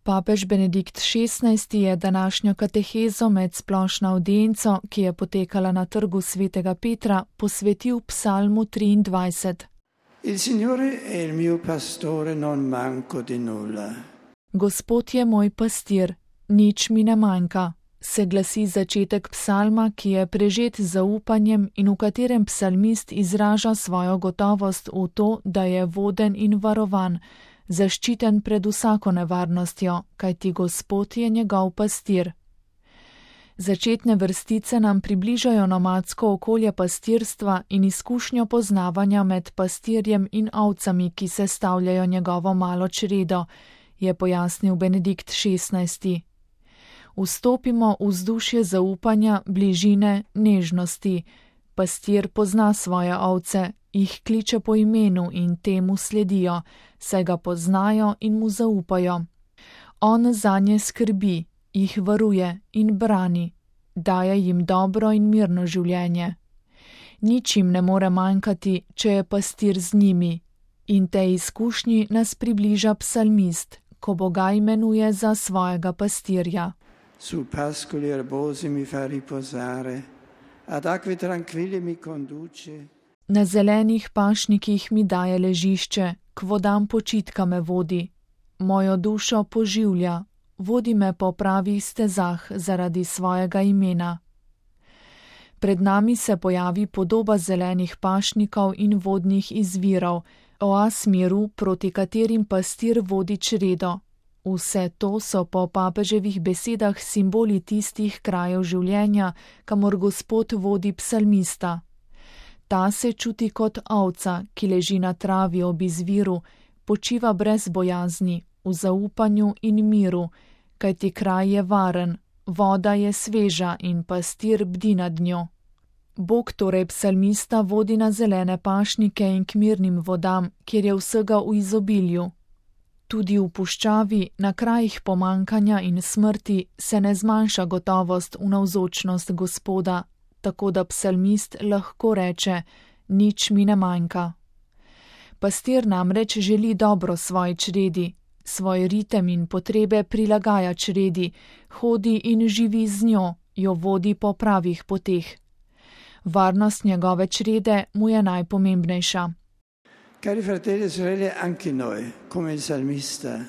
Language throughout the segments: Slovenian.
Papež Benedikt XVI je današnjo katehezo med splošno avdienco, ki je potekala na trgu svetega Petra, posvetil psalmu 23. Il Signore è il mio pastore, non manco di nulla. Gospod je moj pastir, nič mi ne manjka, se glasi začetek psalma, ki je prežet z zaupanjem in v katerem psalmist izraža svojo gotovost v to, da je voden in varovan, zaščiten pred vsako nevarnostjo, kajti Gospod je njegov pastir. Začetne vrstice nam približajo nomadsko okolje pastirstva in izkušnjo poznavanja med pastirjem in ovcami, ki sestavljajo njegovo malo čredo, je pojasnil Benedikt XVI. Vstopimo v vzdušje zaupanja, bližine, nežnosti. Pastir pozna svoje ovce, jih kliče po imenu in temu sledijo, saj ga poznajo in mu zaupajo. On zanje skrbi, jih varuje in brani, daje jim dobro in mirno življenje. Nič jim ne more manjkati, če je pastir z njimi, in tej izkušnji nas približa psalmist, ko Boga imenuje za svojega pastirja. Su pascoli erbosi mi fa riposare, ad acque tranquille mi conduce. Na zelenih pašnikih mi daje ležišče, k vodam počitka me vodi. Mojo dušo poživlja, vodi me po pravih stezah zaradi svojega imena. Pred nami se pojavi podoba zelenih pašnikov in vodnih izvirov, oaz miru, proti katerim pastir vodi čredo. Vse to so po papeževih besedah simboli tistih krajev življenja, kamor Gospod vodi psalmista. Ta se čuti kot ovca, ki leži na travi ob izviru, počiva brez bojazni, v zaupanju in miru, kajti kraj je varen, voda je sveža in pastir bdi nad njo. Bog torej psalmista vodi na zelene pašnike in k mirnim vodam, kjer je vsega v izobilju. Tudi v puščavi, na krajih pomankanja in smrti, se ne zmanjša gotovost v navzočnost Gospoda, tako da psalmist lahko reče, nič mi ne manjka. Pastir namreč želi dobro svoji čredi, svoj ritem in potrebe prilagaja čredi, hodi in živi z njo, jo vodi po pravih poteh. Varnost njegove črede mu je najpomembnejša. Cari fratelli e sorelle, anche noi, come il salmista,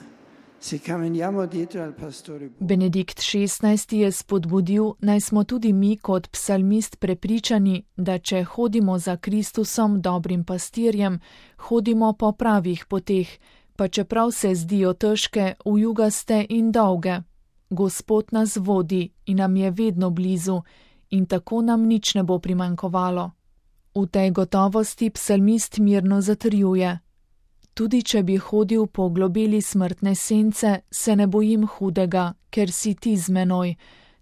se camminiamo dietro al pastore. Benedikt XVI je spodbudil, naj smo tudi mi kot psalmist prepričani, da če hodimo za Kristusom, dobrim pastirjem, hodimo po pravih poteh, pa čeprav se zdijo težke, ujugaste in dolge. Gospod nas vodi in nam je vedno blizu in tako nam nič ne bo primanjkovalo. V tej gotovosti psalmist mirno zatrjuje. Tudi če bi hodil po globeli smrtne sence, se ne bojim hudega, ker si ti z menoj.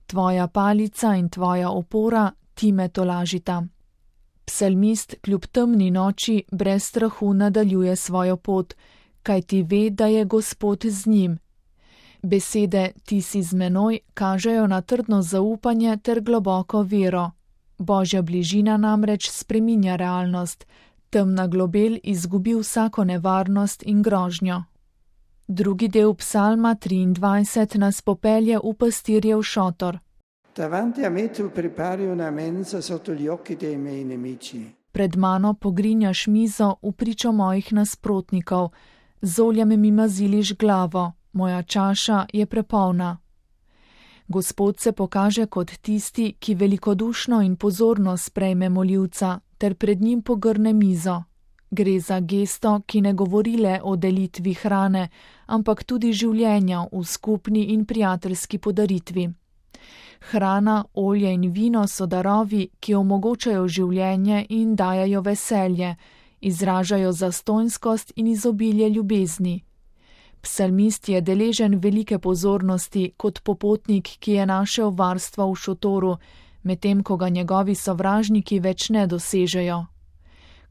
Tvoja palica in tvoja opora ti me tolažita. Psalmist kljub temni noči brez strahu nadaljuje svojo pot, kajti ve, da je Gospod z njim. Besede ti si z menoj kažejo na trdno zaupanje ter globoko vero. Božja bližina namreč spreminja realnost, temna globel izgubi vsako nevarnost in grožnjo. Drugi del psalma 23 nas popelje v pastirjev šotor. Davanti a me tu prepari una mensa sotto gli occhi dei miei nemici. Pred mano pogrinjaš mizo v pričo mojih nasprotnikov, z oljem mi maziliš glavo, moja čaša je prepolna. Gospod se pokaže kot tisti, ki velikodušno in pozorno sprejme moljivca, ter pred njim pogrne mizo. Gre za gesto, ki ne govori le o delitvi hrane, ampak tudi življenja v skupni in prijateljski podaritvi. Hrana, olje in vino so darovi, ki omogočajo življenje in dajajo veselje, izražajo zastonjskost in izobilje ljubezni. Psalmist je deležen velike pozornosti kot popotnik, ki je našel varstvo v šotoru, medtem ko ga njegovi sovražniki več ne dosežejo.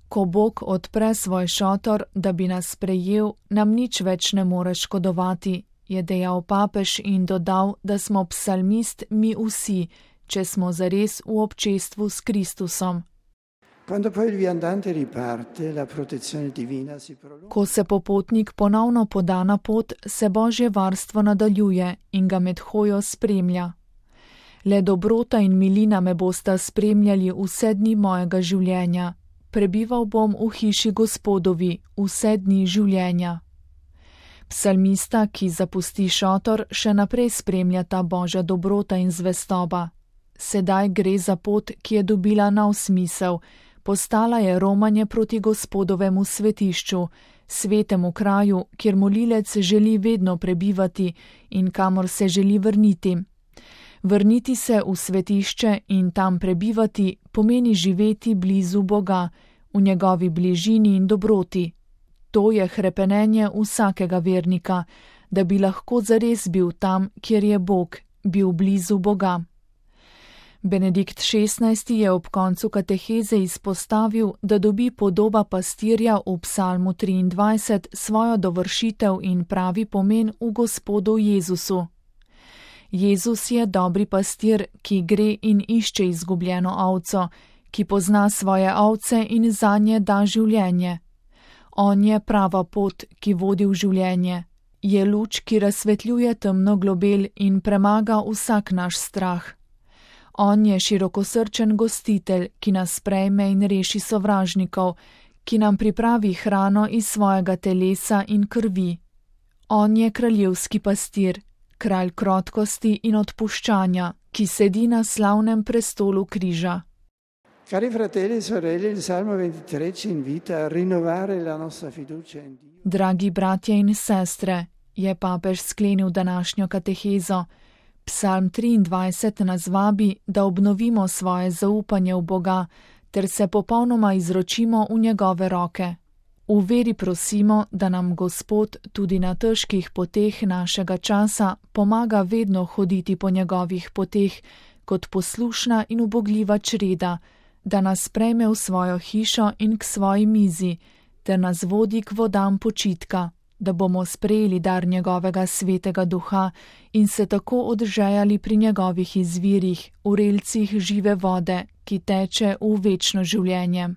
Ko Bog odpre svoj šotor, da bi nas sprejel, nam nič več ne more škodovati, je dejal papež in dodal, da smo psalmist mi vsi, če smo zares v občestvu s Kristusom. Quando poi il viandante riparte, la protezione divina si prolunga. Ko se popotnik ponovno poda na pot, se Božje varstvo nadaljuje in ga med hojo spremlja. Le dobrota in milina me bosta spremljali vse dni mojega življenja. Prebival bom v hiši Gospodovi vse dni življenja. Psalmista, ki zapusti šotor, še naprej spremlja ta Božja dobrota in zvestoba. Sedaj gre za pot, ki je dobila nov smisel. Postala je romanje proti Gospodovemu svetišču, svetemu kraju, kjer molilec želi vedno prebivati in kamor se želi vrniti. Vrniti se v svetišče in tam prebivati pomeni živeti blizu Boga, v njegovi bližini in dobroti. To je hrepenenje vsakega vernika, da bi lahko zares bil tam, kjer je Bog, bil blizu Boga. Benedikt XVI. Je ob koncu kateheze izpostavil, da dobi podoba pastirja v psalmu 23 svojo dovršitev in pravi pomen v Gospodu Jezusu. Jezus je dobri pastir, ki gre in išče izgubljeno ovco, ki pozna svoje ovce in zanje da življenje. On je prava pot, ki vodi v življenje. Je luč, ki razsvetljuje temno globel in premaga vsak naš strah. On je širokosrčen gostitelj, ki nas sprejme in reši sovražnikov, ki nam pripravi hrano iz svojega telesa in krvi. On je kraljevski pastir, kralj krotkosti in odpuščanja, ki sedi na slavnem prestolu križa. Cari fratelli e sorelle, il Salmo 23 ci invita a rinnovare la nostra fiducia in Dio. Dragi bratje in sestre, je papež sklenil današnjo katehezo. Psalm 23 nas vabi, da obnovimo svoje zaupanje v Boga, ter se popolnoma izročimo v njegove roke. V veri prosimo, da nam Gospod tudi na težkih poteh našega časa pomaga vedno hoditi po njegovih poteh, kot poslušna in ubogljiva čreda, da nas sprejme v svojo hišo in k svoji mizi, ter nas vodi k vodam počitka, da bomo sprejeli dar njegovega svetega duha in se tako odžejali pri njegovih izvirih, v relcih žive vode, ki teče v večno življenje.